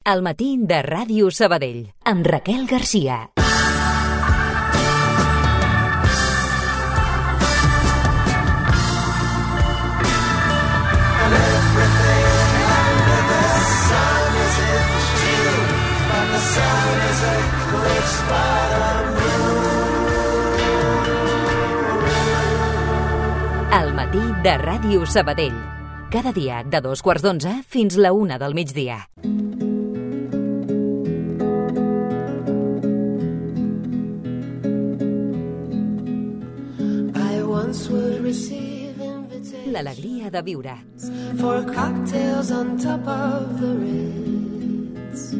Al matí de Ràdio Sabadell, amb Raquel Garcia. Al matí de Ràdio Sabadell. Cada dia de 2:15 fins la 1 del migdia. L'alegria de viure. For cocktails on top of the Ritz,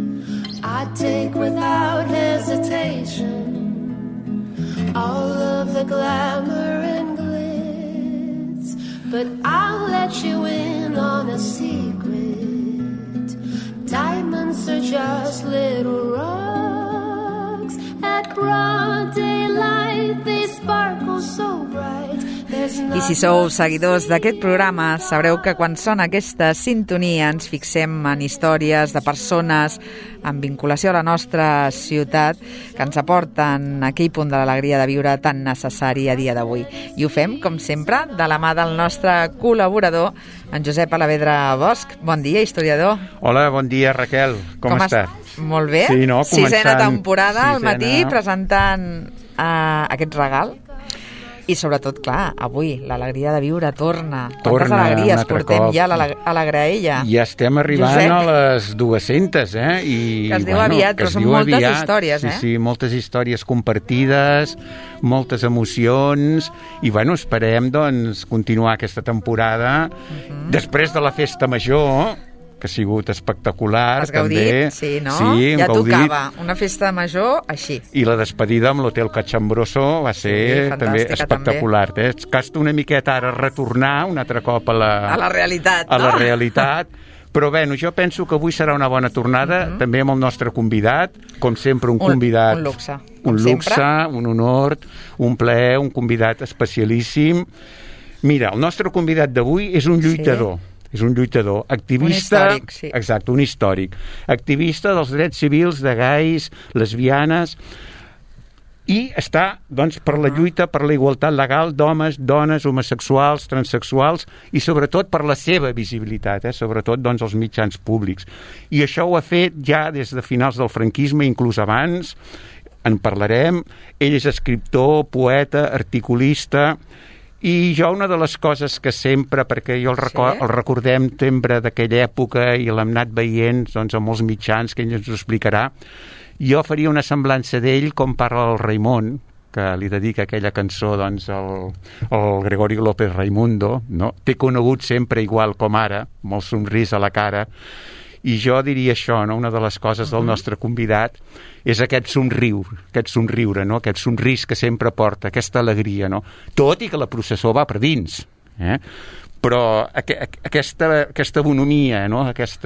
I take without hesitation all of the glamour and glitz, but I'll let you in on a secret. Diamonds are just little rocks. At broad daylight they sparkle so bright. I si sou seguidors d'aquest programa, sabreu que quan sona aquesta sintonia ens fixem en històries de persones amb vinculació a la nostra ciutat que ens aporten aquell punt de l'alegria de viure tan necessari a dia d'avui. I ho fem, com sempre, de la mà del nostre col·laborador, en Josep Alavedra Bosch. Bon dia, historiador. Hola, bon dia, Raquel. Com estàs? Molt bé. Sí, no? Sisena temporada, al matí, presentant aquest regal. I sobretot, clar, avui l'alegria de viure torna. Quantes alegries portem ja a la graella. Ja estem arribant, Josep, a les 200, I, que es diu aviat, però són moltes històries, Sí, moltes històries compartides, moltes emocions, i, esperem, doncs, continuar aquesta temporada. Després de la festa major, que ha sigut espectacular. Has gaudit, també. Sí, no? Sí, ja tocava una festa major així. I la despedida amb l'Hotel Cachambroso va ser també espectacular. Costa una miqueta ara retornar un altre cop a la realitat. A la realitat. Però jo penso que avui serà una bona tornada, també amb el nostre convidat, com sempre un convidat... Un luxe. Un luxe, un honor, un plaer, un convidat especialíssim. Mira, el nostre convidat d'avui és un lluitador. Sí. És un lluitador, activista... Un històric, sí. Exacte, un històric. Activista dels drets civils de gais, lesbianes, i està, doncs, per la lluita per la igualtat legal d'homes, dones, homosexuals, transsexuals, i sobretot per la seva visibilitat, sobretot, doncs, als mitjans públics. I això ho ha fet ja des de finals del franquisme, inclús abans, en parlarem. Ell és escriptor, poeta, articulista... I jo una de les coses que sempre, perquè jo el recordem sempre d'aquella època i l'hem anat veient doncs, a molts mitjans, que ell ens ho explicarà, jo faria una semblança d'ell com parla el Raimon, que li dedica aquella cançó doncs, al Gregorio López Raimundo, no? T'he conegut sempre igual com ara, amb el somrís a la cara, i jo diria això, no? Una de les coses del nostre convidat és aquest somriure, no? Aquest somrís que sempre porta, aquesta alegria, no? Tot i que la processó va per dins, però aquesta bonomia, no? Aquest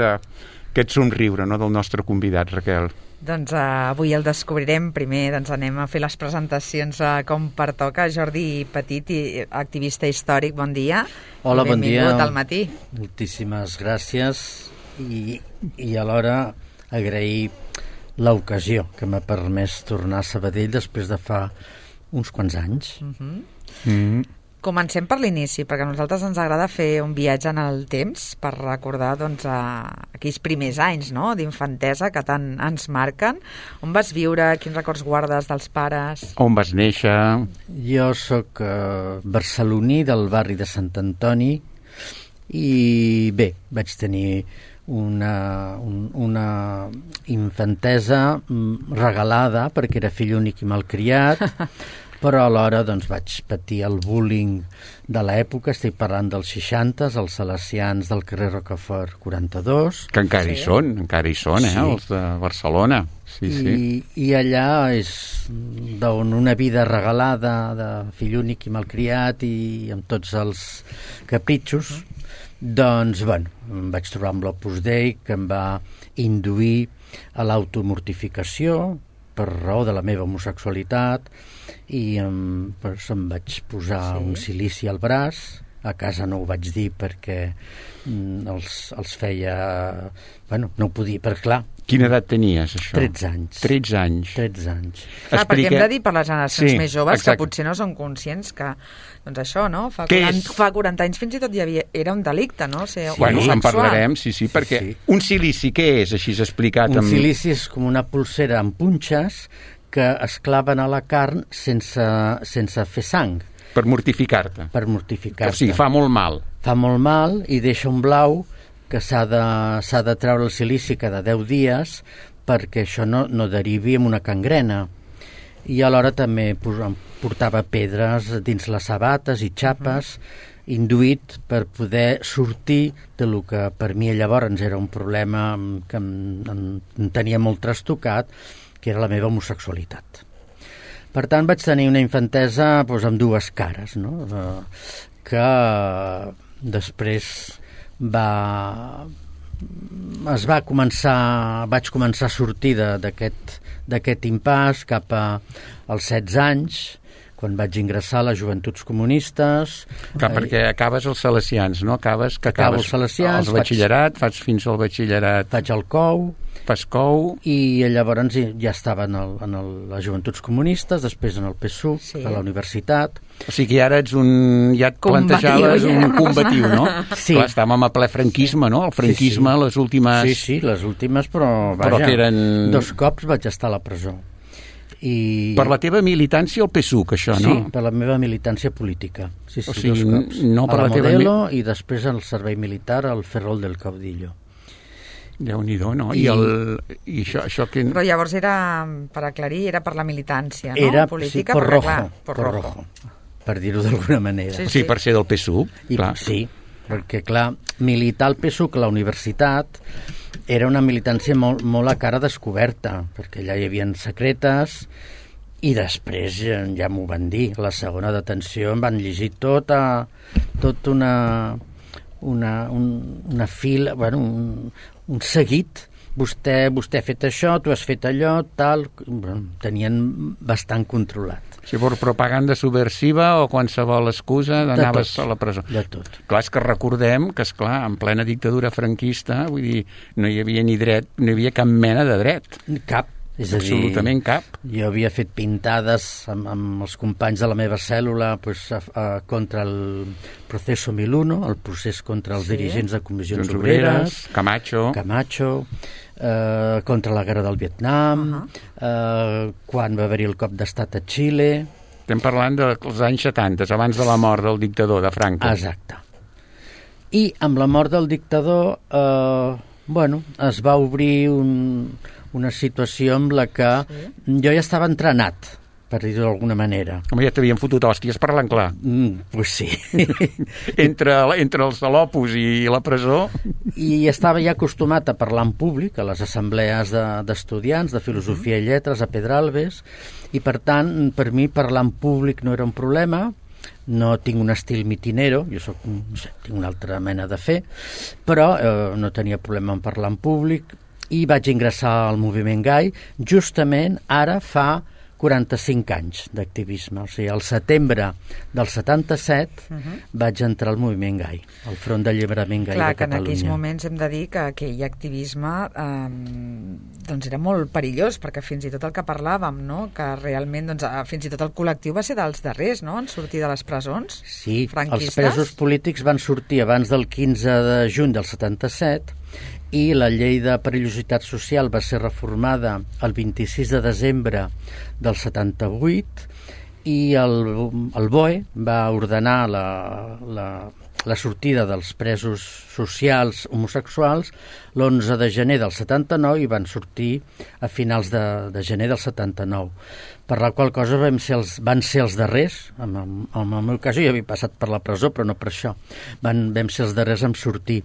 somriure, no? Del nostre convidat, Raquel. Doncs avui el descobrirem. Primer doncs, anem a fer les presentacions com pertoca. Jordi Petit, activista històric, bon dia. Hola, bon dia. Benvingut al matí. Moltíssimes gràcies i alhora agrair l'ocasió que m'ha permès tornar a Sabadell després de fa uns quants anys. Comencem per l'inici, perquè a nosaltres ens agrada fer un viatge en el temps per recordar doncs, aquells primers anys, no?, d'infantesa que tant ens marquen. On vas viure? Quins records guardes dels pares? On vas néixer? Jo sóc barceloní del barri de Sant Antoni i bé, vaig tenir una infantesa regalada perquè era fill únic i malcriat, però alhora doncs, vaig patir el bullying de l'època. Estic parlant dels 60, els salesians del carrer Rocafort 42. Que encara hi són, els de Barcelona. Sí. I allà és d'on una vida regalada de fill únic i malcriat i amb tots els capritxos, doncs, em vaig trobar amb l'Opus Dei, que em va induir a l'automortificació per raó de la meva homosexualitat, i em vaig posar un silici al braç. A casa no ho vaig dir perquè els feia... no ho podia, perquè clar, Quina edat tenies, això? 13 anys. 13 anys. 13 anys. Clar, perquè hem de dir per les generacions Sí, més joves exacte. que potser no són conscients que, doncs això, no? Fa Què 40, és? fa 40 anys fins i tot era un delicte, no? Ser Bueno, en homosexual. parlarem, sí, perquè Sí. un silici, què és, així explicat? Un silici és com una pulsera amb punxes que es claven a la carn sense fer sang, Per mortificar-te. per mortificar-te. O sigui, fa molt mal. Fa molt mal i deixa un blau que s'ha de treure el silici cada 10 dies perquè això no derivi en una gangrena. I alhora també portava pedres dins les sabates i xapes, induït per poder sortir de lo que per mi llavors era un problema que em tenia molt trastocat, que era la meva homosexualitat. Per tant, vaig tenir una infantesa doncs, amb dues cares, no? Que després vaig començar a sortir d'aquest impàs cap als 16 anys, quan vaig ingressar a les Joventuts Comunistes. Perquè acabes els salesians, no? Acabo els salesians, el batxillerat, fas fins al batxillerat. Faig el COU. Fas COU. I llavors ja estava en les Joventuts Comunistes, després en el PSUC, Sí. a la universitat. O sigui, ara ets ja et plantejaves un combatiu, no? Sí. Clar, estàvem a ple franquisme, no? El franquisme, Sí. les últimes... Sí, les últimes, però vaja, que eren... 2 cops vaig estar a la presó. Per la teva militància al PSUC, això, no? Sí, per la meva militància política. Sí, O sigui, 2 cops. no per a la la teva Modelo i després al servei militar al Ferrol del Caudillo. Déu-n'hi-do, no? I això que... Però llavors era, per aclarir, era per la militància, no? Era política, por perquè, rojo, clar, por rojo, per dir-ho d'alguna manera. Sí, Sí, per ser del PSUC, I, clar. sí, perquè, clar, militar al PSUC a la universitat era una militància molt a cara descoberta, perquè allà hi havia secretes i després ja m'ho van dir. La segona detenció em van llegir tot una fila, bueno, un seguit. Vostè ha fet això, tu has fet allò, tal... Tenien bastant controlat. Si fos propaganda subversiva o qualsevol excusa anaves a la presó. De tot. Clar, és que recordem que, esclar, en plena dictadura franquista, vull dir, no hi havia ni dret, no hi havia cap mena de dret. Cap. És a dir, absolutament cap. Jo havia fet pintades amb els companys de la meva cèl·lula contra el Proceso 1001, el procés contra els dirigents de comissions obreres, Camacho, contra la guerra del Vietnam, quan va haver-hi el cop d'estat a Xile. Estem parlant dels anys 70, abans de la mort del dictador, de Franco. Exacte. I amb la mort del dictador, es va obrir una situació amb la que jo ja estava entrenat, per dir-ho d'alguna manera. Home, ja t'havien fotut hòsties parlant clar. Pues sí. entre els de l'Opus i la presó. I estava ja acostumat a parlar en públic, a les assemblees d'estudiants, de filosofia i lletres, a Pedralbes, i per tant, per mi parlar en públic no era un problema. No tinc un estil mitinero, jo tinc una altra mena de fer, però no tenia problema en parlar en públic i vaig ingressar al moviment gai justament ara fa 45 anys d'activisme. O sigui, al setembre del 77 vaig entrar al moviment gai, al Front d'Alliberament Gai de Catalunya. Clar, que en aquells moments hem de dir que aquell activisme doncs era molt perillós, perquè fins i tot el que parlàvem, no? Que realment fins i tot el col·lectiu va ser dels darrers, no?, en sortir de les presons franquistes. Els presos polítics van sortir abans del 15 de juny del 77 i la llei de perillositat social va ser reformada el 26 de desembre del 78 i el BOE va ordenar la sortida dels presos socials homosexuals l'11 de gener del 79 i van sortir a finals de gener del 79. Per la qual cosa van ser els darrers, en el meu cas jo ja havia passat per la presó, però no per això, vam ser els darrers en sortir.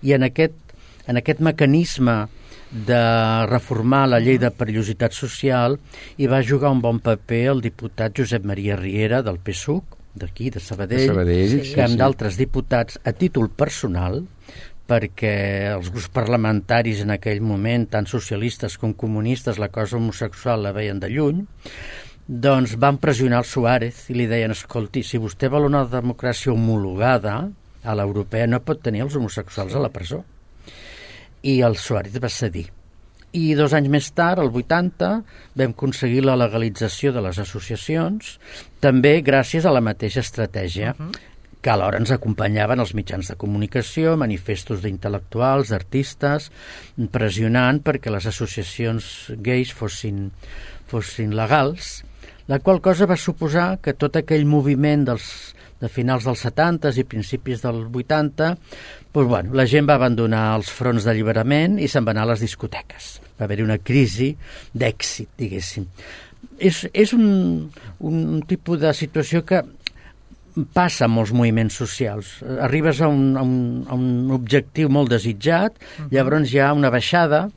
I en aquest mecanisme de reformar la llei de perillositat social hi va jugar un bon paper el diputat Josep Maria Riera del PSUC, d'aquí, de Sabadell, que amb d'altres diputats a títol personal, perquè els grups parlamentaris en aquell moment, tant socialistes com comunistes, la cosa homosexual la veien de lluny, doncs van pressionar el Suárez i li deien, escolti, si vostè vol una democràcia homologada a l'europea no pot tenir els homosexuals a la presó. I el Suárez va cedir I 2 anys més tard, el 80, vam aconseguir la legalització de les associacions, també gràcies a la mateixa estratègia, que alhora ens acompanyaven els mitjans de comunicació, manifestos d'intel·lectuals, d'artistes, pressionant perquè les associacions gais fossin legals, la qual cosa va suposar que tot aquell moviment de finals dels 70 i principis del 80, doncs, bueno, la gent va abandonar els fronts d'alliberament i se'n va anar a les discoteques. Va haver-hi una crisi d'èxit, diguéssim. És un tipus de situació que passa amb molts moviments socials. Arribes a un objectiu molt desitjat, llavors hi ha una baixada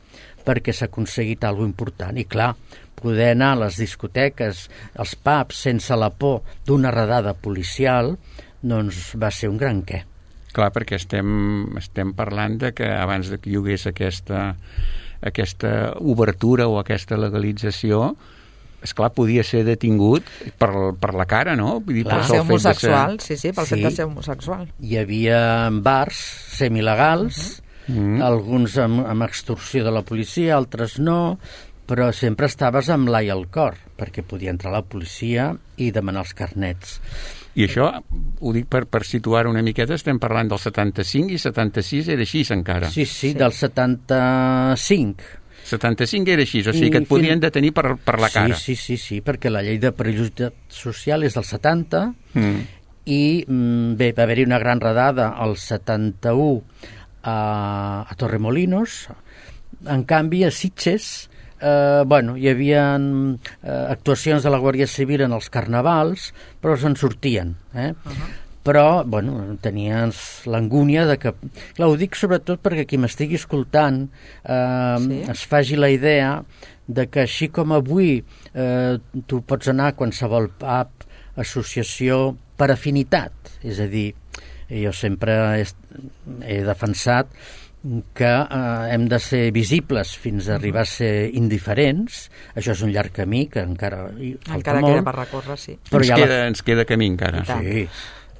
perquè s'ha aconseguit alguna important. I clar, poder anar a les discoteques, als pubs, sense la por d'una redada policial, doncs va ser un gran què. Clar, perquè estem parlant de que abans que hi hagués aquesta obertura o aquesta legalització, esclar, podia ser detingut per la cara, no? Vull dir, per ser homosexual, sí, pel fet de ser homosexual. Hi havia bars semilegals, alguns amb extorsió de la policia, altres no, però sempre estaves amb l'ai al cor, perquè podia entrar la policia i demanar els carnets. I això, ho dic per situar una miqueta, estem parlant del 75 i 76 era així encara. Sí, del 75. 75 era així, o sigui que et podien detenir per la cara. Sí, perquè la llei de perillositat social és del 70 i bé, va haver-hi una gran redada al 71 a Torremolinos. En canvi, a Sitges hi havia actuacions de la Guàrdia Civil en els carnavals, però se'n sortien, però, tenies l'angúnia de que... Clar, ho dic sobretot perquè qui m'estigui escoltant es faci la idea de que així com avui tu pots anar a qualsevol pub, associació, per afinitat. És a dir, jo sempre he defensat que hem de ser visibles fins a arribar a ser indiferents. Això és un llarg camí que encara falta molt. Queda per recórrer, sí. Però ens queda camí encara. Sí.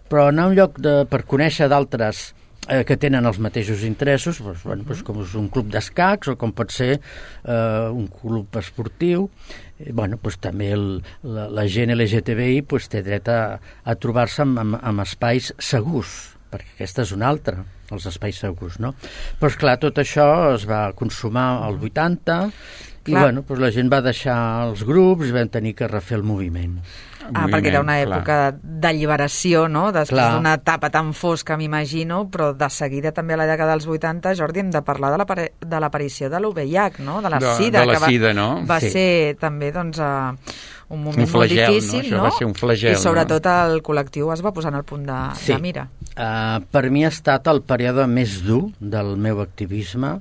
Però anar a un lloc per conèixer d'altres que tenen els mateixos interessos, com és un club d'escacs o com pot ser un club esportiu, també la gent LGTBI té dret a trobar-se en espais segurs, perquè aquesta és una altra, els espais segurs, no? Però, esclar, tot això es va consumar al 80 i, la gent va deixar els grups i vam tenir que refer el moviment. Perquè era una època d'alliberació, no? Després d'una etapa tan fosca, m'imagino, però de seguida també a la dècada dels 80, Jordi, hem de parlar de l'aparició de l'UVIH, no? De la SIDA, va ser també, un moment molt difícil, no? Això va ser un flagel, i sobretot el col·lectiu es va posar en el punt de mira. Per mi ha estat el període més dur del meu activisme.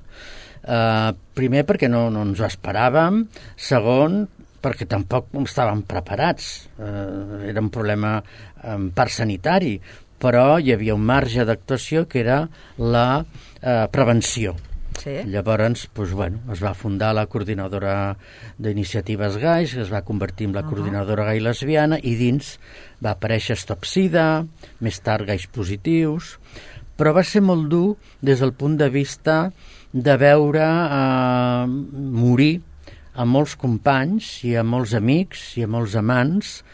Primer, perquè no ens ho esperàvem. Segon, perquè tampoc estàvem preparats. Era un problema en part sanitari, però hi havia un marge d'actuació que era la prevenció. Sí. Llavors, es va fundar la coordinadora d'iniciatives gais, que es va convertir en la coordinadora gai lesbiana, i dins va aparèixer Stop Sida, més tard Gais Positius, però va ser molt dur des del punt de vista de veure morir a molts companys i a molts amics i a molts amants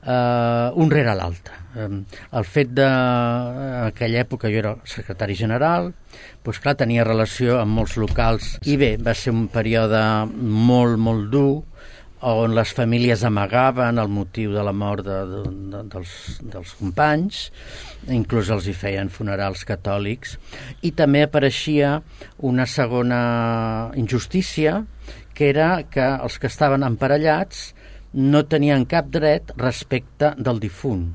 un rere l'altre. El fet d'aquella època jo era secretari general, tenia relació amb molts locals i bé, va ser un període molt, molt dur on les famílies amagaven el motiu de la mort dels companys, inclús els hi feien funerals catòlics, i també apareixia una segona injustícia, que era que els que estaven emparellats no tenien cap dret respecte del difunt.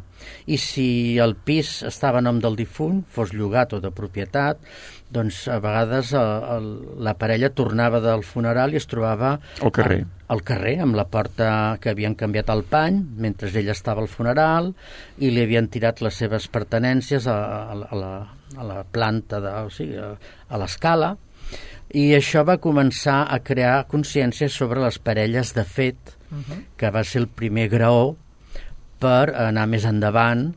I si el pis estava a nom del difunt, fos llogat o de propietat, doncs a vegades la parella tornava del funeral i es trobava al carrer, amb la porta que havien canviat el pany, mentre ell estava al funeral, i li havien tirat les seves pertenències a la planta, a l'escala, i això va començar a crear consciència sobre les parelles de fet, que va ser el primer graó per anar més endavant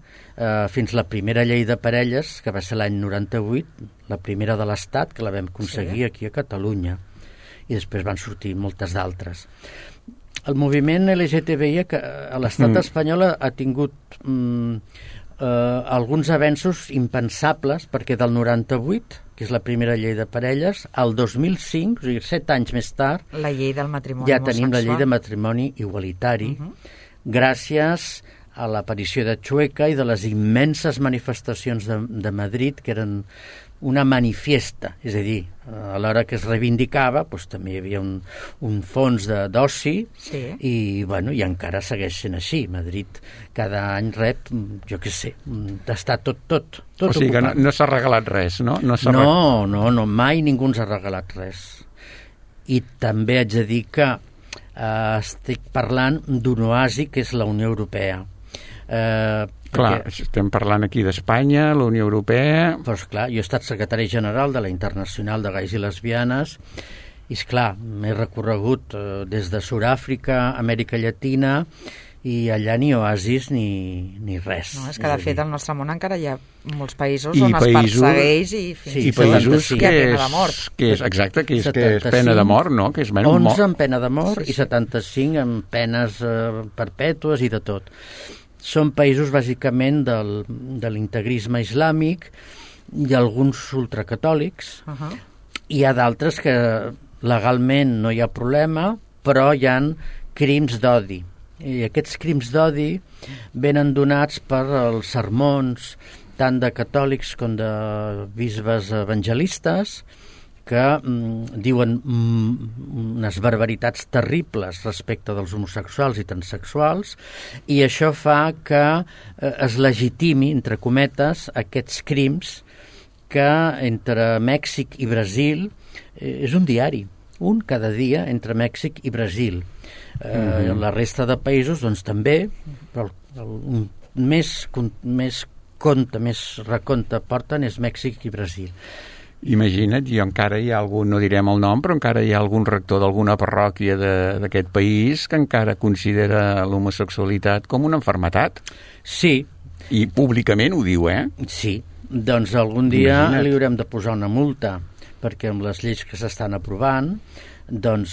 fins la primera llei de parelles, que va ser l'any 98, la primera de l'Estat, que la vam aconseguir aquí a Catalunya. i després van sortir moltes d'altres. El moviment LGTBI a l'estat espanyol ha tingut alguns avenços impensables, perquè del 98, que és la primera llei de parelles, al 2005, o sigui, 7 anys més tard, la llei del matrimoni ja tenim la llei de matrimoni igualitari, gràcies a l'aparició de Chueca i de les immenses manifestacions de Madrid, que eren una manifiesta, és a dir, a l'hora que es reivindicava doncs, també hi havia un fons d'oci i encara segueix sent així. Madrid cada any rep, jo què sé, està tot o sigui ocupat. Que no s'ha regalat res, no? No, mai ningú ens ha regalat res. I també haig de dir que estic parlant d'un oasi que és la Unió Europea. Clar, estem parlant aquí d'Espanya, la Unió Europea... Però, esclar, jo he estat secretari general de la Internacional de Gais i Lesbianes i, esclar, m'he recorregut des de Sud-àfrica, Amèrica Llatina, i allà ni oasis ni res. No, és que de fet al nostre món encara hi ha molts països on es persegueix i fins i països que hi ha pena de mort. Exacte, que és pena de mort, no? Que és 11 amb pena de mort i 75 amb penes perpètues i de tot. Són països bàsicament de l'integrisme islàmic i alguns ultracatòlics. Hi ha d'altres que legalment no hi ha problema, però hi ha crims d'odi. I aquests crims d'odi venen donats per els sermons tant de catòlics com de bisbes evangelistes que diuen unes barbaritats terribles respecte dels homosexuals i transexuals, i això fa que es legitimi, entre cometes, aquests crims que entre Mèxic i Brasil és un diari, un cada dia entre Mèxic i Brasil. La resta de països doncs també, però el més recompte porten és Mèxic i Brasil. Imagina't, jo encara hi ha algun, no direm el nom, però encara hi ha algun rector d'alguna parròquia d'aquest país que encara considera l'homosexualitat com una malaltia. Sí. I públicament ho diu, Sí, doncs algun dia li haurem de posar una multa, perquè amb les lleis que s'estan aprovant doncs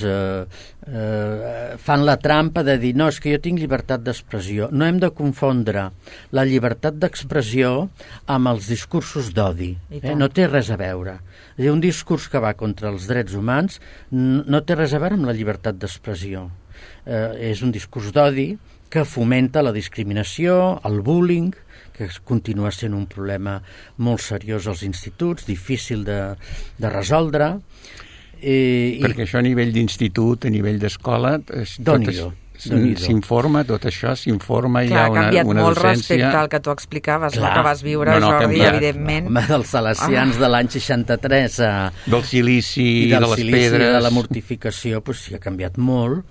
fan la trampa de dir no, és que jo tinc llibertat d'expressió. No hem de confondre la llibertat d'expressió amb els discursos d'odi. No té res a veure. És a dir, un discurs que va contra els drets humans no té res a veure amb la llibertat d'expressió. És un discurs d'odi que fomenta la discriminació, el bullying, que continua sent un problema molt seriós als instituts, difícil de resoldre. Perquè això a nivell d'institut, a nivell d'escola, s'informa, tot això s'informa, hi ha una docència... Ha canviat molt respecte al que tu explicaves, la que vas viure, Jordi, evidentment. Home, dels salesians de l'any 63 del silici, de les pedres... de la mortificació, doncs sí, ha canviat molt.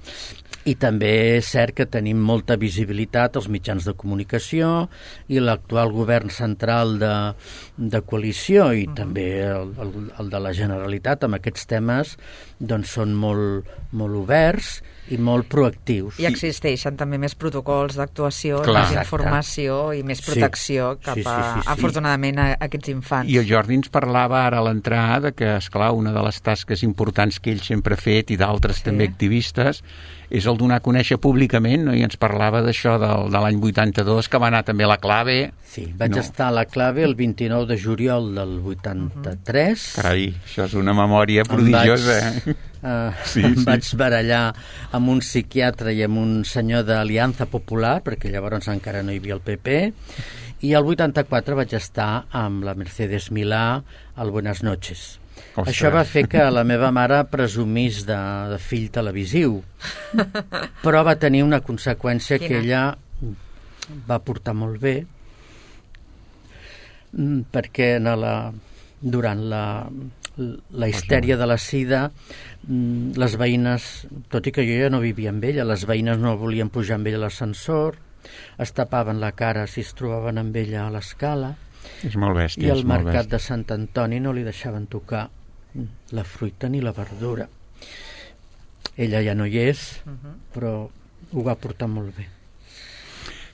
I també és cert que tenim molta visibilitat als mitjans de comunicació i l'actual govern central de coalició i també el de la Generalitat amb aquests temes doncs són molt oberts i molt proactius. I existeixen també més protocols d'actuació, més informació i més protecció cap afortunadament, a aquests infants. I el Jordi ens parlava ara a l'entrada que, esclar, una de les tasques importants que ell sempre ha fet i d'altres també activistes és el donar a conèixer públicament, no? I ens parlava d'això de l'any 82, que va anar també a la Clave. Sí, vaig estar a la Clave el 29 de juliol del 83. Carai, això és una memòria prodigiosa. Em vaig barallar amb un psiquiatre i amb un senyor d'Aliança Popular, perquè llavors encara no hi havia el PP, i el 84 vaig estar amb la Mercedes Milà al Buenas Noches. Ostres. Això va fer que la meva mare presumís de fill televisiu, però va tenir una conseqüència que ella va portar molt bé, perquè durant la histèria de la sida, les veïnes, tot i que jo ja no vivia amb ella, les veïnes no volien pujar amb ella a l'ascensor, es tapaven la cara si es trobaven amb ella a l'escala, és molt bèstia, i al mercat de Sant Antoni no li deixaven tocar la fruita ni la verdura. Ella ja no hi és, però ho va portar molt bé.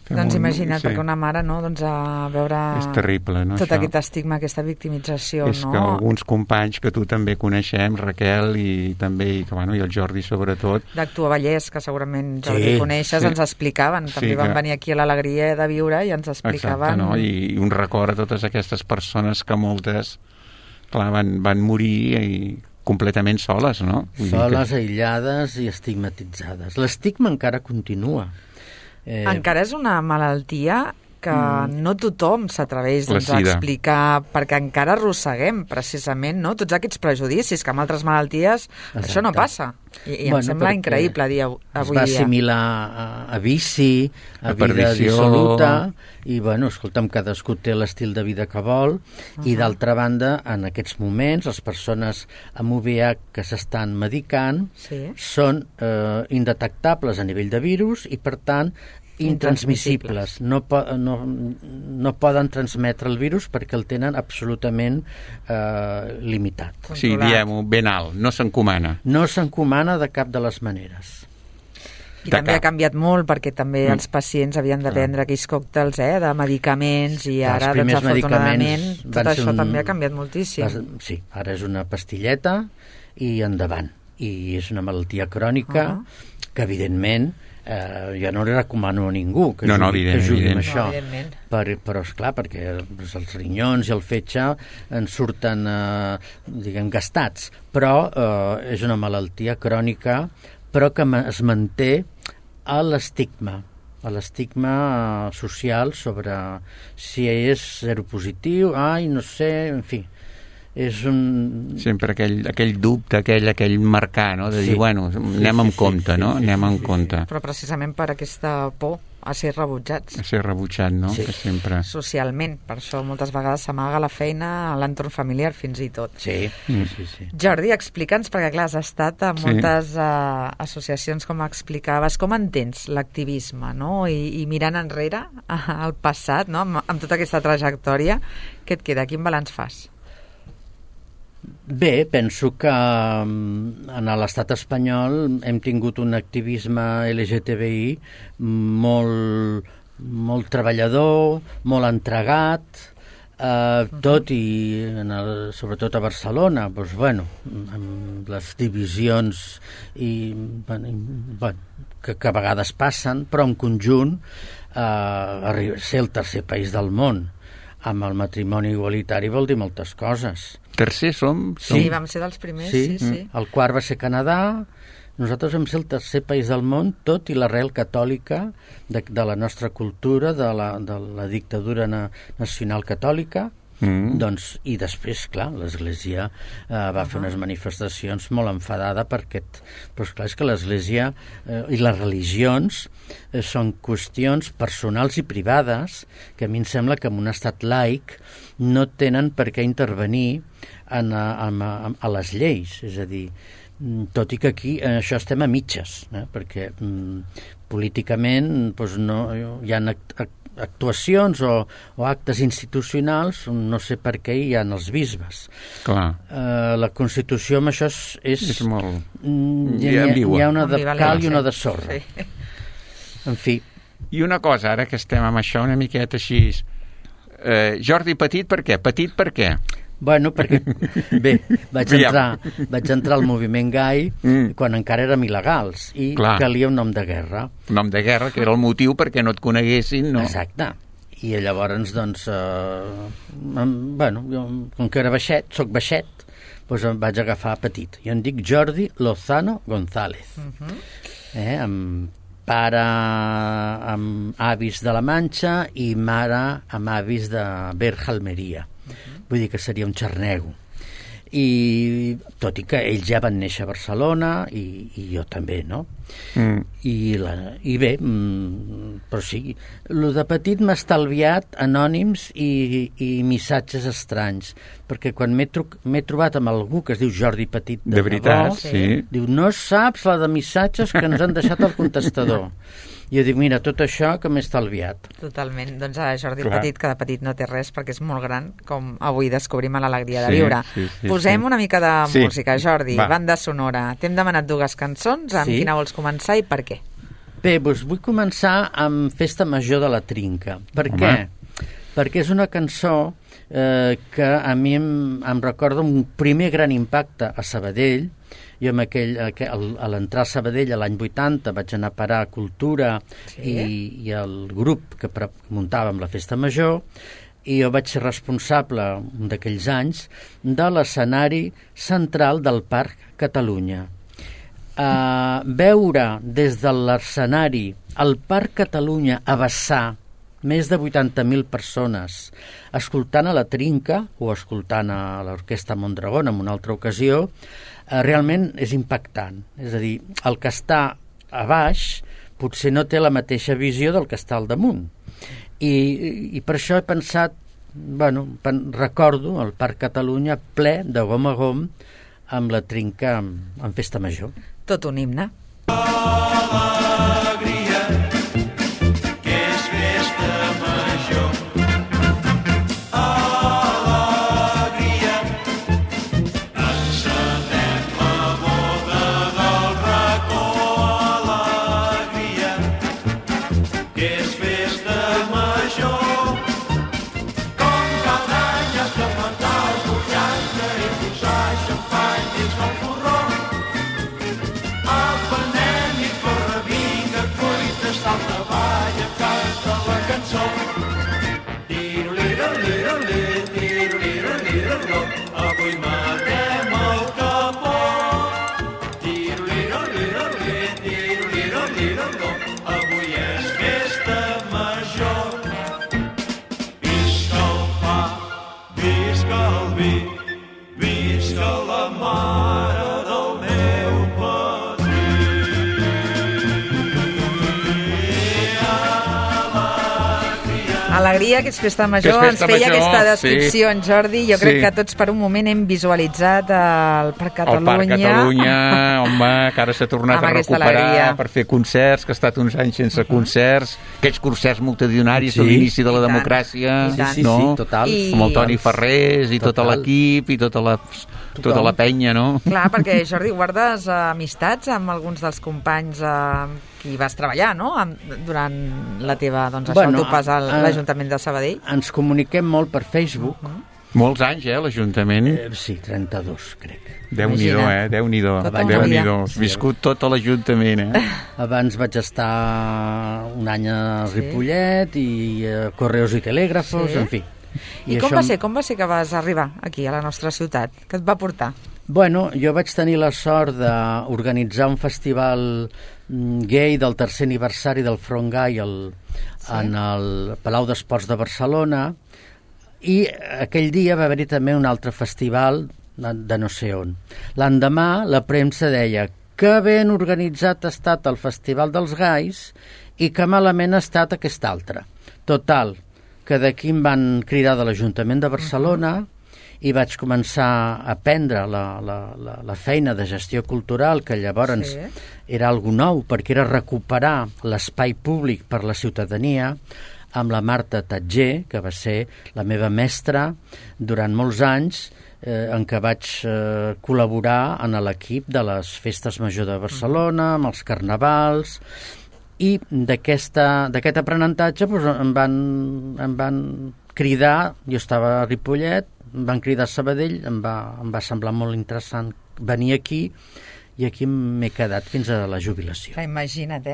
Doncs imagina't, perquè una mare, no?, doncs a veure... És terrible, no, tot això? aquest estigma, aquesta victimització, És no? que alguns companys que tu també coneixem, Raquel, i també, i el Jordi sobretot... D'Actua Vallès, que segurament Jordi coneixes, ens explicaven. També van venir aquí a l'Alegria de Viure i ens explicaven... Exacte, no? I un record a totes aquestes persones que moltes, clar, van morir i completament soles, no? Soles, aïllades i estigmatitzades. L'estigma encara continua. Encara és una malaltia que no tothom s'atreveix a explicar, perquè encara arrosseguem precisament, no?, tots aquests prejudicis que amb altres malalties això no passa. I em sembla increïble dir avui dia. Es va assimilar a vici, a vida dissoluta, i, escolta'm, cadascú té l'estil de vida que vol, i d'altra banda, en aquests moments, les persones amb VIH que s'estan medicant són indetectables a nivell de virus i, per tant, intransmissibles. No poden transmetre el virus perquè el tenen absolutament limitat. Sí, diem-ho ben alt, no s'encomana. No s'encomana de cap de les maneres. I també ha canviat molt, perquè també els pacients havien de prendre aquells còctels de medicaments, i ara, doncs, afortunadament, tot això també ha canviat moltíssim. Sí, ara és una pastilleta i endavant. I és una malaltia crònica que, evidentment, jo no li recomano a ningú que jugui amb això, però esclar, perquè els rinyons i el fetge en surten gastats, però és una malaltia crònica, però que es manté a l'estigma social sobre si és seropositiu, no sé, en fi, és un... Sempre aquell dubte, aquell marcar, no?, de dir, anem amb compte, no? Anem amb compte. Però precisament per aquesta por a ser rebutjats. A ser rebutjat, no? Sí. Que sempre... Socialment. Per això moltes vegades s'amaga la feina a l'entorn familiar, fins i tot. Sí. Jordi, explica'ns, perquè clar, has estat a moltes associacions, com explicaves. Com entens l'activisme, no? I mirant enrere al passat, no?, amb tota aquesta trajectòria, què et queda? Quin balanç fas? Bé, penso que en l'estat espanyol hem tingut un activisme LGTBI molt treballador, molt entregat, tot i, sobretot a Barcelona, amb les divisions que a vegades passen, però en conjunt ser el tercer país del món amb el matrimoni igualitari vol dir moltes coses. Tercer som? Sí, vam ser dels primers, sí. El quart va ser Canadà. Nosaltres vam ser el tercer país del món, tot i l'arrel catòlica de la nostra cultura, de la dictadura nacional catòlica. Doncs, i després, clar, l'Església va fer unes manifestacions molt enfadada perquè, però esclar, és que l'Església i les religions són qüestions personals i privades que a mi em sembla que en un estat laic no tenen per què intervenir a les lleis, és a dir, tot i que aquí això estem a mitges, perquè políticament no, hi ha actuacions o actes institucionals, no sé per què hi ha els bisbes. Clar. La Constitució amb això és molt hi ha una de cal i una de sorra. Sí. En fi. I una cosa, ara que estem amb això una miqueta així, Jordi Petit per què? Petit per què? Perquè bé, vaig entrar al moviment gai quan encara érem il·legals i calia un nom de guerra. Un nom de guerra, que era el motiu perquè no et coneguessin, no? Exacte. I llavors, doncs, jo, com que era baixet, soc baixet, doncs em vaig agafar Petit. Jo em dic Jordi Lozano González. Amb pare amb avis de la Manxa i mare amb avis de Berja, Almeria. Vull dir que seria un xarnego. I tot i que ells ja van néixer a Barcelona i jo també, no? I bé, però sí, el de Petit m'ha estalviat anònims i missatges estranys, perquè quan m'he trobat amb algú que es diu Jordi Petit de veritat, sí. Diu, no saps la de missatges que ens han deixat al contestador. I jo dic, mira, tot això que m'he estalviat. Totalment. Doncs Jordi Petit, que de petit no té res perquè és molt gran, com avui descobrim a l'Alegria de Viure. Posem una mica de música, Jordi, banda sonora. T'hem demanat 2 cançons, amb quina vols començar i per què? Bé, doncs vull començar amb Festa Major de la Trinca. Per què? Perquè és una cançó que a mi em recorda un primer gran impacte a Sabadell. Jo a l'entrar a Sabadell l'any 80 vaig anar a parar a Cultura i el grup que muntàvem la Festa Major, i jo vaig ser responsable un d'aquells anys de l'escenari central del Parc Catalunya. Veure des de l'escenari el Parc Catalunya a vessar més de 80.000 persones escoltant a la Trinca o escoltant a l'Orquestra Mondragón en una altra ocasió, realment és impactant. És a dir, el que està a baix potser no té la mateixa visió del que està al damunt. I per això he pensat, recordo el Parc Catalunya ple de gom a gom amb la Trinca en Festa Major. Tot un himne. Alegria, que és festa major. Alegria, encendem la boda del racó. Alegria, que és festa major. Com cada any has de plantar el butxaca i posar xampany dins del porró. Apenem i corre vinga, cuites d'alta vall, canta la cançó. Tiro-liro-liro-li, tiro-liro-liro-lo, avui matem el capó. Tiro-liro-liro-li, tiro-liro-liro-lo, avui és festa major. Visca el pa, visca el vi, visca la mare del meu patrí. Alegria, que és festa major. Que és festa Ens feia major, aquesta descripció, sí. en Jordi. Jo crec Sí. que tots per un moment hem visualitzat el Parc Catalunya. El Parc Catalunya, home, que ara s'ha tornat Amb a aquesta recuperar alegria. per fer concerts, que ha estat uns anys sense concerts, aquells concerts multitudinaris Sí. de l'inici de la I tant. democràcia, I tant. Sí, no? total. I- Amb el Toni Ferrés i tot Total. l'equip i tota la penya, no? Clar, perquè, Jordi, guardes amistats amb alguns dels companys qui vas treballar, no?, durant la teva, doncs, això, el teu pas a l'Ajuntament de Sabadell. Ens comuniquem molt per Facebook. Molts anys, l'Ajuntament. Sí, 32, crec. Déu-n'hi-do, Imagina't. Déu-n'hi-do. Tota una Déu-n'hi-do. vida. Has viscut tot a l'Ajuntament, Abans vaig estar un any a Ripollet i a Correos i Telègrafos, Sí. en fi. I com va ser que vas arribar aquí, a la nostra ciutat? Què et va portar? Bueno, jo vaig tenir la sort d'organitzar un festival gay del tercer aniversari del Front Gai en el Palau d'Esports de Barcelona, i aquell dia va haver-hi també un altre festival de no sé on. L'endemà la premsa deia que ben organitzat ha estat el Festival dels Gais i que malament ha estat aquest altre. Total, que d'aquí em van cridar de l'Ajuntament de Barcelona i vaig començar a aprendre la feina de gestió cultural, que llavors era algo nou, perquè era recuperar l'espai públic per la ciutadania, amb la Marta Tatger, que va ser la meva mestra durant molts anys, en què vaig col·laborar en l'equip de les Festes Major de Barcelona, amb els carnavals, i d'aquest aprenentatge em van cridar, jo estava a Ripollet, em van cridar a Sabadell, em va semblar molt interessant venir aquí, i aquí m'he quedat fins a la jubilació. Clar, imagina't,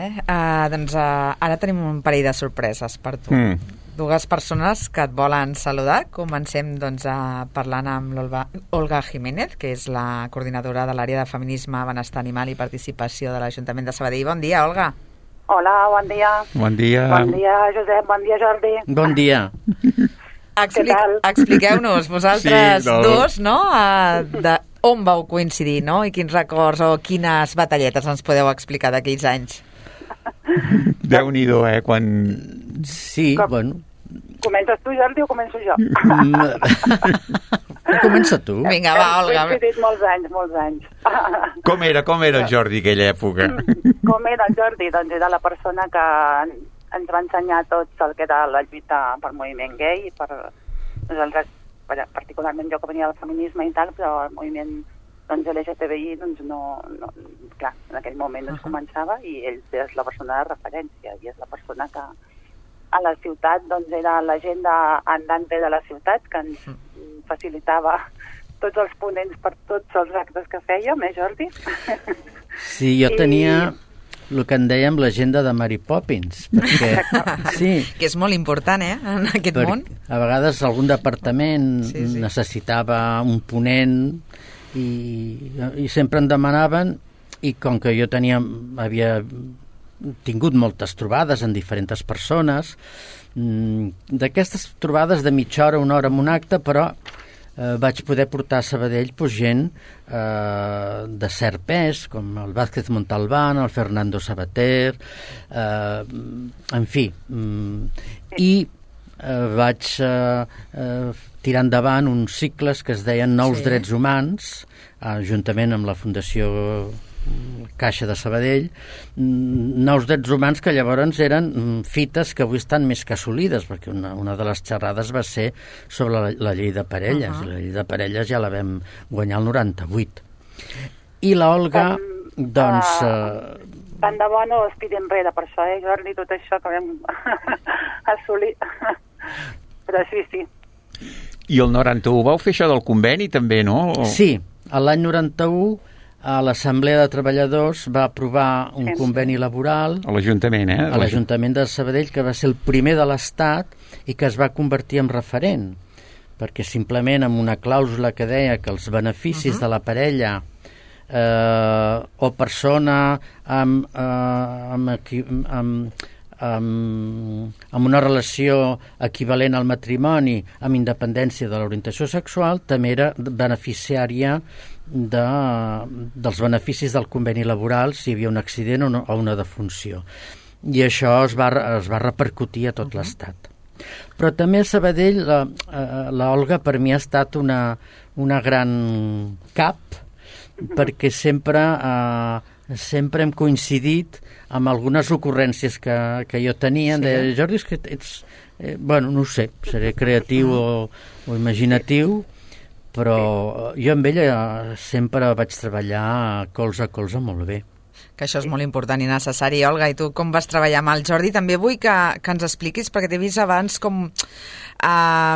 doncs ara tenim un parell de sorpreses per tu. Dues persones que et volen saludar. Comencem doncs, parlant amb l'Olga Jiménez, que és la coordinadora de l'àrea de feminisme, benestar animal i participació de l'Ajuntament de Sabadell. Bon dia, Olga. Hola, bon dia. Bon dia. Bon dia, Josep. Bon dia, Jordi. Bon dia. Expliqueu-nos, vosaltres dos, no?, de on vau coincidir, no?, i quins records o quines batalletes ens podeu explicar d'aquells anys. Déu-n'hi-do, quan... Sí, bueno... Comences tu, Jordi, o començo jo? Comença tu. Vinga, va, Olga. Hem coincidit molts anys. Com era el Jordi aquella època? Com era el Jordi? Doncs era la persona que ens va ensenyar tots el que era la lluita per moviment gay, per nosaltres, particularment jo que venia del feminisme i tal, però el moviment doncs LGTBI doncs clar, en aquell moment doncs començava i ell és la persona de referència i és la persona que a la ciutat doncs era l'agenda andante de la ciutat que ens facilitava tots els ponents per tots els actes que fèiem, Jordi? Sí, jo tenia el que en dèiem l'agenda de Mary Poppins, perquè sí, que és molt important, en aquest món. A vegades algun departament necessitava un ponent i sempre em demanaven, i com que jo havia tingut moltes trobades amb diferents persones, d'aquestes trobades de mitja hora, una hora en un acte, però vaig poder portar a Sabadell gent de cert pes, com el Vázquez Montalbán, el Fernando Sabater, en fi. I vaig tirar endavant uns cicles que es deien Nous Drets Humans, juntament amb la Fundació Caixa de Sabadell, Nous Drets Humans, que llavors eren fites que avui estan més que assolides, perquè una de les xerrades va ser sobre la llei de parelles, i la llei de parelles ja la vam guanyar el 98. I l'Olga, doncs... Tant de bo no es tiri enrere per això, Jordi, tot això que vam assolir. Però sí. I el 91 vau fer això del conveni també, no? Sí, l'any 91 a l'Assemblea de Treballadors va aprovar un conveni laboral a l'Ajuntament, a l'Ajuntament de Sabadell, que va ser el primer de l'Estat i que es va convertir en referent, perquè simplement amb una clàusula que deia que els beneficis de la parella o persona amb una relació equivalent al matrimoni amb independència de l'orientació sexual també era beneficiària dels beneficis del conveni laboral si hi havia un accident o una defunció. I això es va repercutir a tot l'Estat. Però també a Sabadell l'Olga per mi ha estat una gran cap, perquè sempre hem coincidit amb algunes ocurrències que jo tenia. De Jordi, és que ets... no ho sé, seré creatiu o imaginatiu, però jo amb ella sempre vaig treballar colze a colze molt bé. Que això és molt important i necessari. Olga, i tu com vas treballar amb el Jordi? També vull que ens expliquis, perquè t'he vist abans com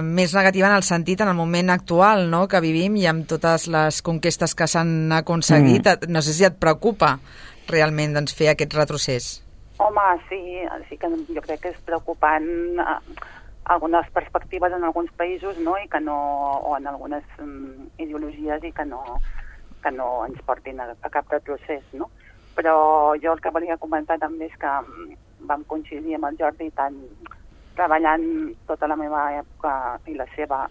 més negativa en el sentit en el moment actual, no?, que vivim i amb totes les conquestes que s'han aconseguit. No sé si et preocupa realment doncs, fer aquest retrocés. Home, sí que jo crec que és preocupant algunes perspectives en alguns països, no?, i que no, o en algunes ideologies i que no ens portin a cap retrocés, no? Però jo el que volia comentar també és que vam coincidir amb el Jordi tant treballant tota la meva època i la seva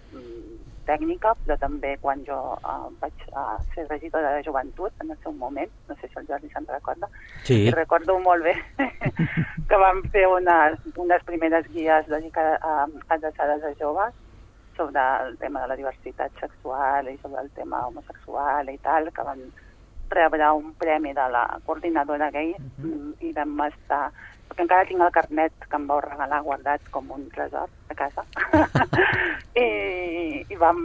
tècnica, però també quan jo vaig ser regidora de joventut en el seu moment, no sé si el Jordi se'n recorda, i recordo molt bé que vam fer unes primeres guies adreçades a joves sobre el tema de la diversitat sexual i sobre el tema homosexual i tal, que van rebre un premi de la coordinadora gay i vam estar... perquè encara tinc el carnet que em vau regalar guardat com un tresor a casa. I vam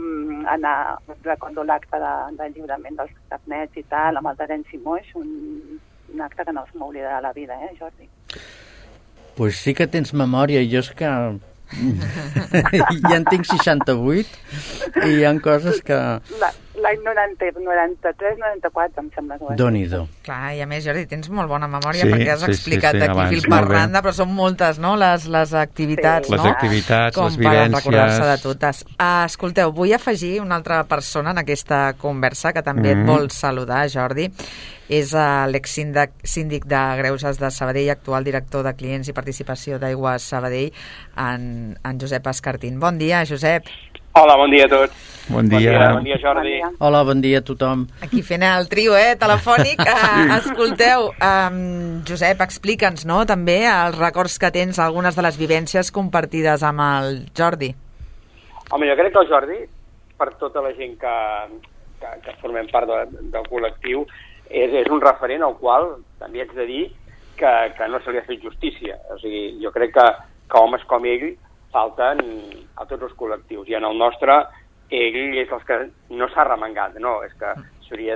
anar, recordo l'acte de lliurament dels carnets i tal, amb el Terenci Moix, un acte que no es m'oblidarà la vida, Jordi? Pues sí que tens memòria, jo és que ja en tinc 68 i hi ha coses que... L'any 93, 94, em sembla que va ser. Déu-n'hi-do. Clar, i a més, Jordi, tens molt bona memòria perquè has explicat aquí fil per randa, però són moltes, no?, les activitats, no? Les activitats, les vivències... Com per recordar-se de totes. Escolteu, vull afegir una altra persona en aquesta conversa que també et vol saludar, Jordi. És l'exsíndic de Greuges de Sabadell, actual director de Clients i Participació d'Aigües Sabadell, en Josep Escartín. Bon dia, Josep. Hola, bon dia a tots. Bon dia, Jordi. Hola, bon dia a tothom. Aquí fent el trio, telefònic. Escolteu, Josep, explica'ns, no?, també els records que tens, algunes de les vivències compartides amb el Jordi. Home, jo crec que el Jordi, per tota la gent que formem part del col·lectiu, és un referent al qual també haig de dir que no se li ha fet justícia. O sigui, jo crec que homes com ell falten a tots els col·lectius, i en el nostre ell és els que no s'ha remengat, no, és que s'hauria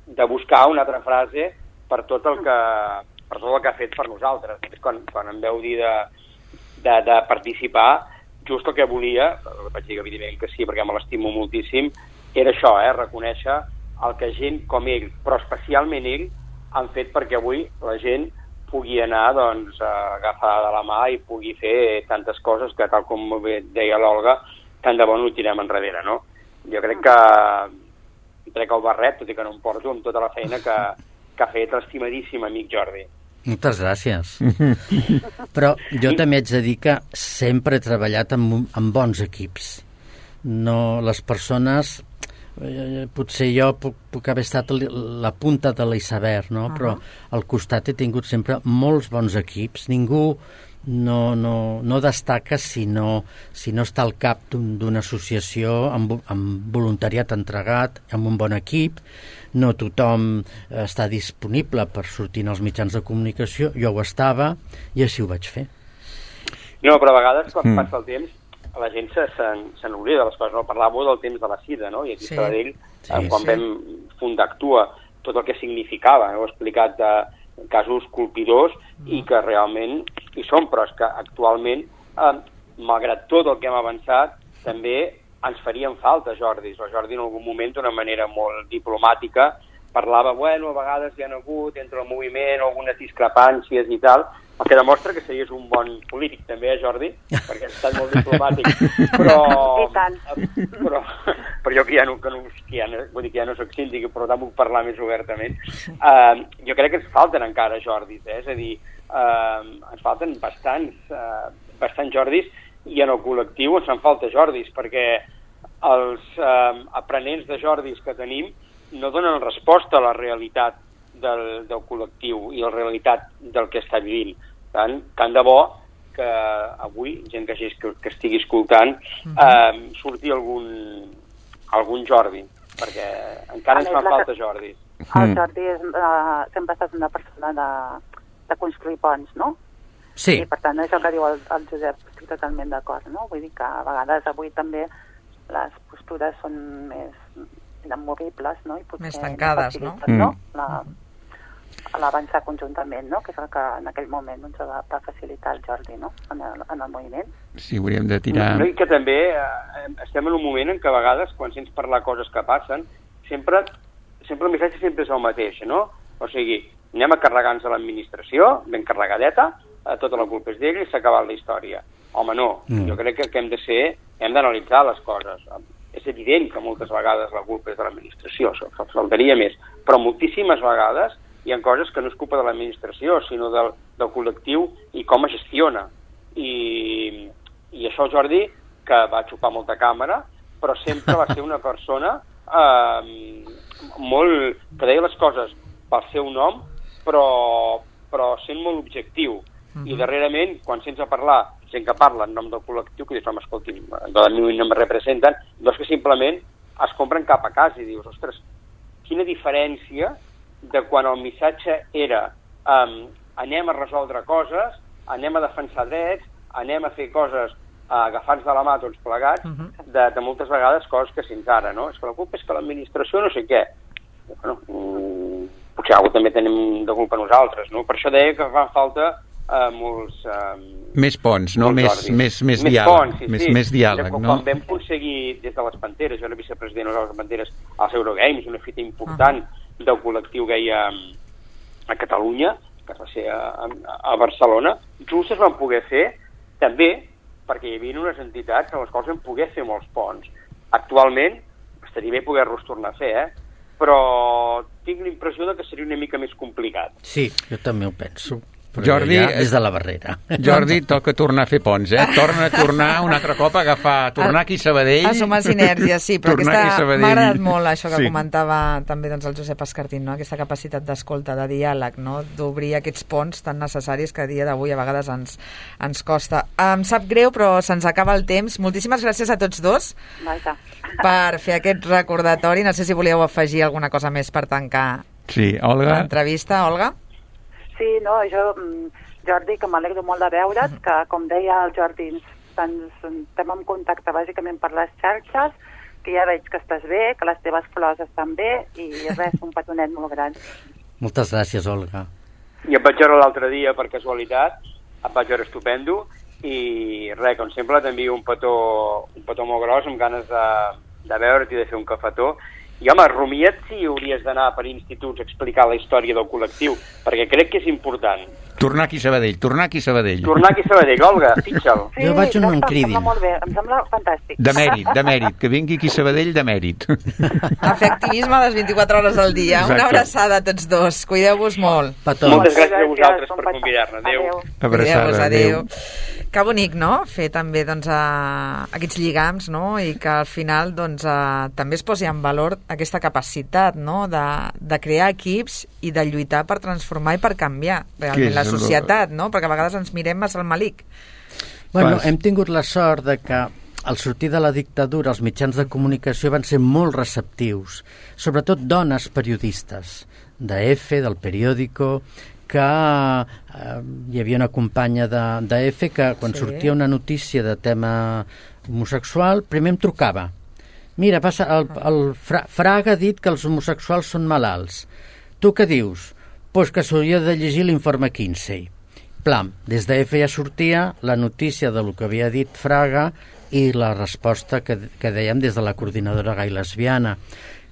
de buscar una altra frase per tot el que ha fet per nosaltres. Quan em veu dir de participar, just el que volia, vaig dir evidentment que sí, perquè me l'estimo moltíssim, era això, reconèixer el que gent com ell, però especialment ell, han fet perquè avui la gent pugui anar doncs, agafar de la mà i pugui fer tantes coses que, tal com deia l'Olga, tant de bo no ho tirem enrere, no? Jo crec que trec el barret, tot i que no em porto, amb tota la feina que ha fet l'estimadíssim amic Jordi. Moltes gràcies. Però jo també haig de dir que sempre he treballat amb bons equips. No, les persones... potser jo puc haver estat la punta de l'iceberg, no? Però al costat he tingut sempre molts bons equips. Ningú no destaca si no està al cap d'una associació amb voluntariat entregat, amb un bon equip. No tothom està disponible per sortir als mitjans de comunicació. Jo ho estava i així ho vaig fer. No, però a vegades quan passa el temps la gent se n'oblida de les coses. No? Parlàveu del temps de la sida, no? I aquí Sabadell, quan vam fundar Actua, tot el que significava. Heu explicat de casos colpidors i que realment hi són, però és que actualment, malgrat tot el que hem avançat, també ens farien falta Jordis. El Jordi en algun moment, d'una manera molt diplomàtica, parlava, bueno, a vegades hi ha hagut entre el moviment algunes discrepàncies i tal, el que demostra que series un bon polític també, Jordi, perquè has estat molt diplomàtic, però jo que ja no soc síndic, però tant puc parlar més obertament. Jo crec que ens falten encara Jordis, és a dir, ens falten bastants Jordis, i en el col·lectiu ens en falta Jordis, perquè els aprenents de Jordis que tenim no donen resposta a la realitat del col·lectiu i la realitat del que està vivint. Tant de bo que avui, gent que estigui escoltant, surti algun Jordi, perquè encara ens fa falta Jordi. El Jordi sempre ha estat una persona de construir ponts, no? Sí. I per tant, això que diu el Josep, estic totalment d'acord, no? Vull dir que a vegades avui també les postures són més inamovibles, no? I potser més tancades, no? L'avançar conjuntament, no? Que és el que en aquell moment doncs, va facilitar el Jordi, no? En el moviment. Sí, hauríem de tirar... No, i que també estem en un moment en què a vegades, quan sents parlar coses que passen, sempre el missatge sempre és el mateix, no? O sigui, anem a carregar-nos a l'administració, ben carregadeta, tota la culpa és d'ell i s'ha acabat la història. Home, no. Jo crec que hem d'analitzar les coses. És evident que moltes vegades la culpa és de l'administració, faltaria més, però moltíssimes vegades hi ha coses que no és culpa de l'administració, sinó del col·lectiu i com es gestiona. I això Jordi, que va xupar molta càmera, però sempre va ser una persona que deia les coses pel seu nom, però sent molt objectiu. I darrerament, quan sents a parlar gent que parla en nom del col·lectiu, que dius, home, escolti, de mi no me representen, doncs que simplement es compren cap a casa i dius, ostres, quina diferència de quan el missatge era anem a resoldre coses, anem a defensar drets, anem a fer coses agafant-nos de la mà tots plegats, de moltes vegades coses que sents ara, no? És que la culpa és que l'administració no sé què. Bueno, potser alguna també tenim de culpa nosaltres, no? Per això deia que fan falta molts... més ponts, no? Més diàleg. Més diàleg, no? Quan vam aconseguir des de les Panteres, jo era vicepresident de les Panteres als Eurogames, una fita important del col·lectiu gay a Catalunya, que va ser a Barcelona, just es van poder fer també perquè hi havia unes entitats en les quals vam poder fer molts ponts. Actualment, estaria bé poder-los tornar a fer, però tinc la impressió que seria una mica més complicat. Sí, jo també ho penso. Jordi, des de la barrera. Jordi, toca tornar a fer ponts, tornar un altre cop a tornar aquí a Sabadell. A sumar sinergies, sí, però m'ha agradat molt això que comentava també doncs, el Josep Escartín, no? Aquesta capacitat d'escolta, de diàleg, no? D'obrir aquests ponts tan necessaris que a dia d'avui a vegades ens costa. Em sap greu, però se'ns acaba el temps. Moltíssimes gràcies a tots dos per fer aquest recordatori. No sé si volíeu afegir alguna cosa més per tancar l'entrevista, Olga. Sí, no, Jordi, que m'alegro molt de veure't, que com deia el Jordi, estem en contacte bàsicament per les xarxes, que ja veig que estàs bé, que les teves flors estan bé, i res, un petonet molt gran. Moltes gràcies, Olga. I em vaig veure l'altre dia, per casualitat, em vaig veure estupendo, i res, com sempre t'envio un petó molt gros, amb ganes de veure't i de fer un cafetó. I home, rumia't si hauries d'anar per instituts a explicar la història del col·lectiu, perquè crec que és important. Tornar aquí a Sabadell. Tornar aquí a Sabadell, Olga, fixa'l. Sí, Jo vaig on em em cridin. sembla molt bé, em sembla fantàstic. De mèrit, que vingui aquí a Sabadell de mèrit. A fer activisme les 24 hores del dia. Exacte. Una abraçada a tots dos. Cuideu-vos molt. Petons. Moltes gràcies a Gràcies, vosaltres un per petó. convidar-me. Adéu. Cuideu-vos, Abraçada, Que bonic, no?, fer també doncs, aquests lligams, no?, i que al final doncs, també es posi en valor aquesta capacitat, no?, de crear equips i de lluitar per transformar i per canviar realment la societat, no?, perquè a vegades ens mirem massa al malic. Bueno, hem tingut la sort de que al sortir de la dictadura els mitjans de comunicació van ser molt receptius, sobretot dones periodistes, d'EFE, del periòdico, que hi havia una companya d'EFE que quan sortia una notícia de tema homosexual, primer em trucava. Mira, el Fraga ha dit que els homosexuals són malalts. Tu què dius? Pues que s'hauria de llegir l'informe Kinsey. Plam, des d'EFE ja sortia la notícia de lo que havia dit Fraga i la resposta que dèiem des de la coordinadora gai lesbiana,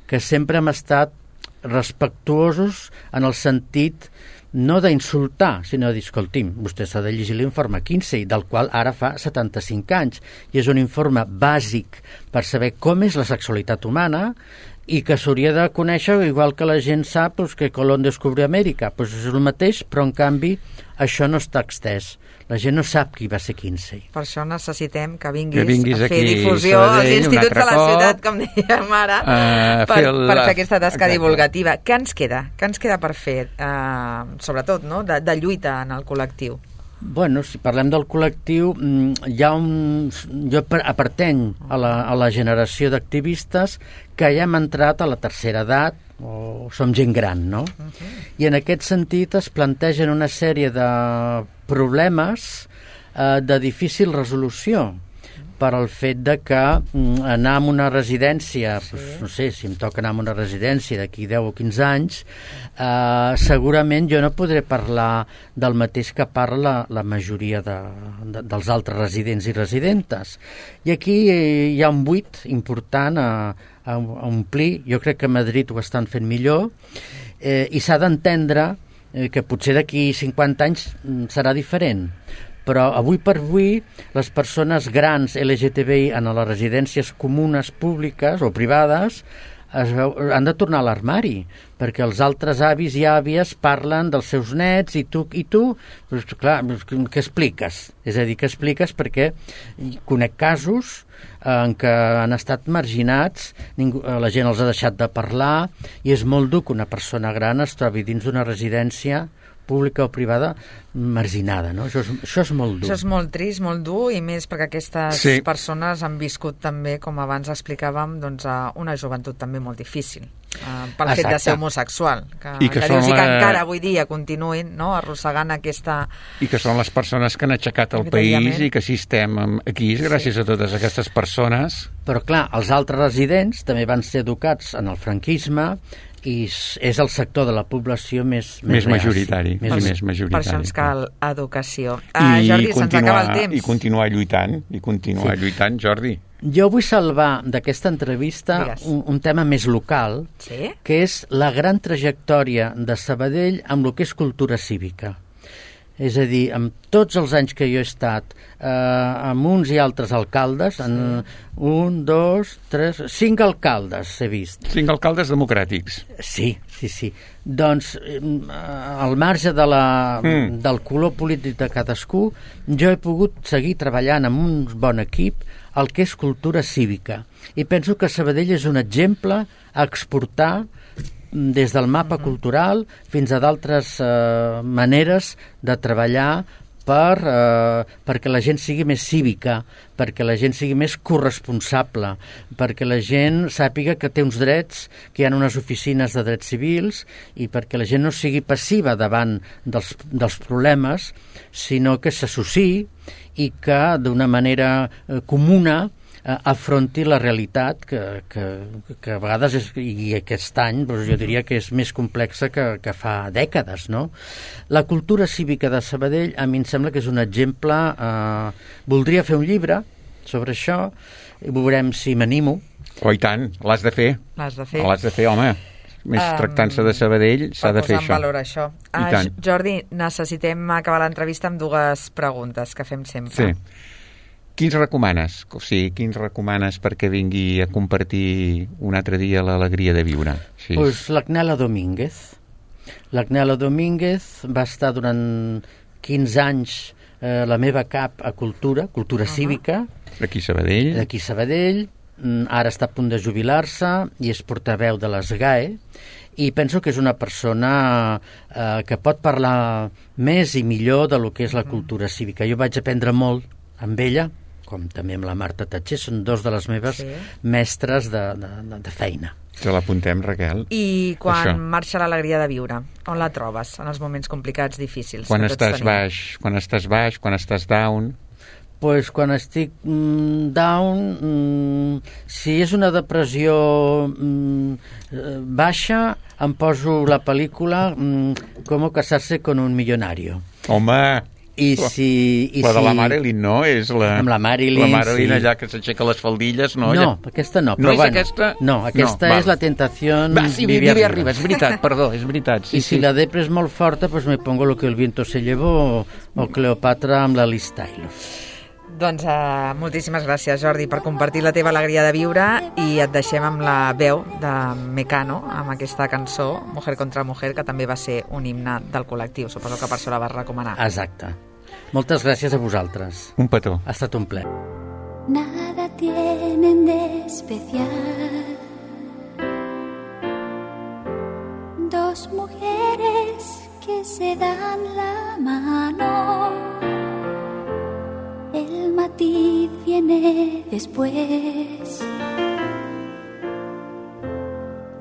que sempre hem estat respectuosos en el sentit no d'insultar, sinó de dir, escolti'm, vostè s'ha de llegir l'informe Kinsey, del qual ara fa 75 anys, i és un informe bàsic per saber com és la sexualitat humana i que s'hauria de conèixer, igual que la gent sap que Colón descobrió Amèrica. És el mateix, però en canvi això no està extès. La gent no sap qui va ser Kinsey. Per això necessitem que vinguis a fer aquí, difusió als Sabadell, instituts de la cop, ciutat, com dèiem ara, per fer aquesta tasca divulgativa. Què ens queda? Què ens queda per fer, sobretot, no?, de lluita en el col·lectiu? Bueno, si parlem del col·lectiu, jo pertany a la generació d'activistes que ja hem entrat a la tercera edat, o som gent gran, no? I en aquest sentit es plantegen una sèrie de problemes de difícil resolució per al fet de que anar a una residència, no sé, si em toca anar a una residència d'aquí 10 o 15 anys, segurament jo no podré parlar del mateix que parla la majoria dels altres residents i residentes. I aquí hi ha un buit important a omplir. Jo crec que a Madrid ho estan fent millor, i s'ha d'entendre que potser d'aquí 50 anys serà diferent. Però avui per avui les persones grans LGTBI en les residències comunes públiques o privades han de tornar a l'armari, perquè els altres avis i àvies parlen dels seus nets i tu doncs, clar, què expliques? És a dir, què expliques? Perquè conec casos en què han estat marginats, la gent els ha deixat de parlar, i és molt dur que una persona gran es trobi dins d'una residència pública o privada marginada, no? Això és molt dur. Això és molt trist, molt dur, i més perquè aquestes persones han viscut també, com abans explicàvem, doncs, una joventut també molt difícil pel fet de ser homosexual, que dius, que encara avui dia continuïn, no?, arrossegant aquesta... I que són les persones que han aixecat el país i que si estem aquí gràcies a totes aquestes persones. Però clar, els altres residents també van ser educats en el franquisme i és el sector de la població més majoritari. Per això ens cal educació. Jordi, se'ns acaba el temps. I continuar lluitant, Jordi. Jo vull salvar d'aquesta entrevista un tema més local, que és la gran trajectòria de Sabadell amb el que és cultura cívica. És a dir, amb tots els anys que jo he estat amb uns i altres alcaldes, 1, 2, 3, 5 alcaldes he vist. 5 alcaldes democràtics. Sí. Doncs, al marge del color polític de cadascú, jo he pogut seguir treballant amb un bon equip el que és cultura cívica. I penso que Sabadell és un exemple a exportar des del mapa cultural fins a d'altres maneres de treballar perquè la gent sigui més cívica, perquè la gent sigui més corresponsable, perquè la gent sàpiga que té uns drets, que hi ha unes oficines de drets civils, i perquè la gent no sigui passiva davant dels problemes, sinó que s'associï i que d'una manera comuna afronti la realitat que a vegades i aquest any doncs jo diria que és més complexa que fa dècades, no? La cultura cívica de Sabadell a mi em sembla que és un exemple. Voldria fer un llibre sobre això i veurem si m'animo. Oh, i tant, l'has de fer. L'has de fer. L'has de fer, home. Més tractant-se de Sabadell, s'ha de fer això. Per posar en valor això. Jordi, necessitem acabar l'entrevista amb dues preguntes que fem sempre. Sí. Quins recomanes? O sigui, quins recomanes perquè vingui a compartir un altre dia l'alegria de viure? Sí. Pues l'Agnela Domínguez. L'Agnela Domínguez va estar durant 15 anys la meva cap a cultura cívica. D'aquí Sabadell. D'aquí Sabadell. Ara està a punt de jubilar-se i és portaveu de les GAE i penso que és una persona que pot parlar més i millor de lo que és la cultura cívica. Jo vaig aprendre molt amb ella, com també amb la Marta Tatxer, són dos de les meves mestres de feina. Que l'apuntem, Raquel. I quan marxa l'alegria de viure, on la trobes en els moments complicats, difícils? Quan estàs baix, quan estàs down? Pues quan estic down, si és una depressió baixa, em poso la pel·lícula Com casarse con un millonario. Home! La de la Marilyn, no? És amb la Marilyn, la Marilyn allà que s'aixeca les faldilles, no? No, aquesta no. No és aquesta? No, aquesta és la tentación Vivi arriba, és veritat, perdó, és veritat. I si la depre és molt forta, pues me pongo Lo que el viento se llevó o Cleopatra amb la Liz Taylor. Doncs moltíssimes gràcies, Jordi, per compartir la teva alegria de viure i et deixem amb la veu de Mecano, amb aquesta cançó, Mujer contra Mujer, que també va ser un himne del col·lectiu. Suposo que per això la vas recomanar. Exacte. Moltes gràcies a vosaltres. Un petó. Ha estat un plaer. Nada tienen de especial dos mujeres que se dan la mano. El matiz viene después,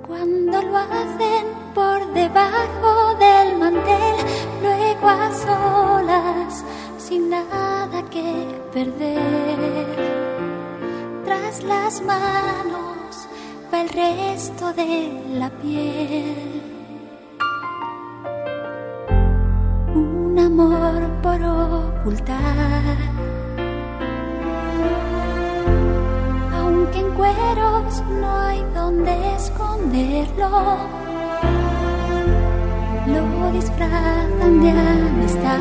cuando lo hacen por debajo del mantel, luego a solas, sin nada que perder. Tras las manos va el resto de la piel. Un amor por ocultar, aunque en cueros no hay donde esconderlo, lo disfrazan de amistad.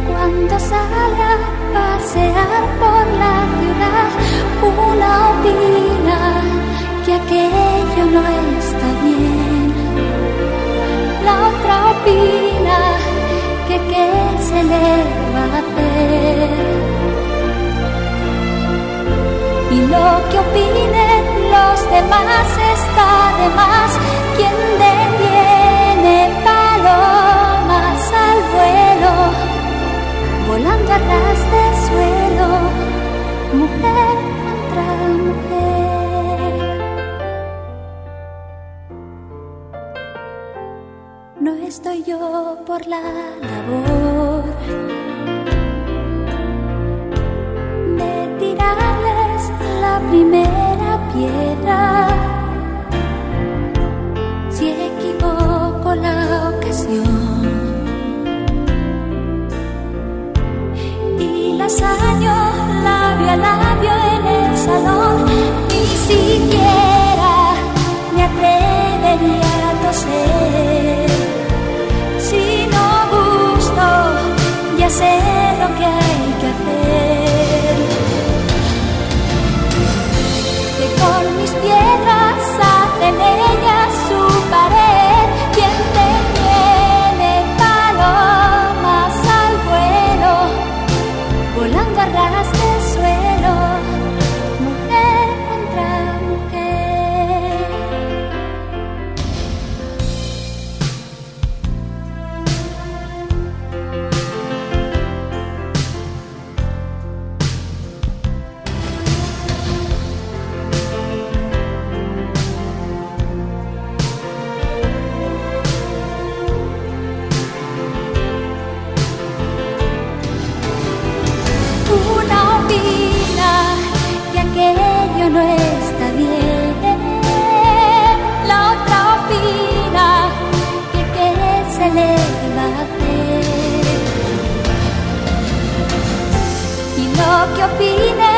Cuando sale a pasear por la ciudad, una opina que aquello no está bien, la otra opina que qué se le va a hacer. Y lo que opinen los demás está de más. Quien detiene palomas al vuelo, volando a ras de suelo, mujer contra mujer. No estoy yo por la labor de tirarles la primera piedra. Si equivoco la ocasión y las año labio a labio en el salón, ni siquiera me atrevería a toser. Si no gusto, ya sé lo que hay que hacer. Que con mis piedras hacen ellas su pared. Quien te opine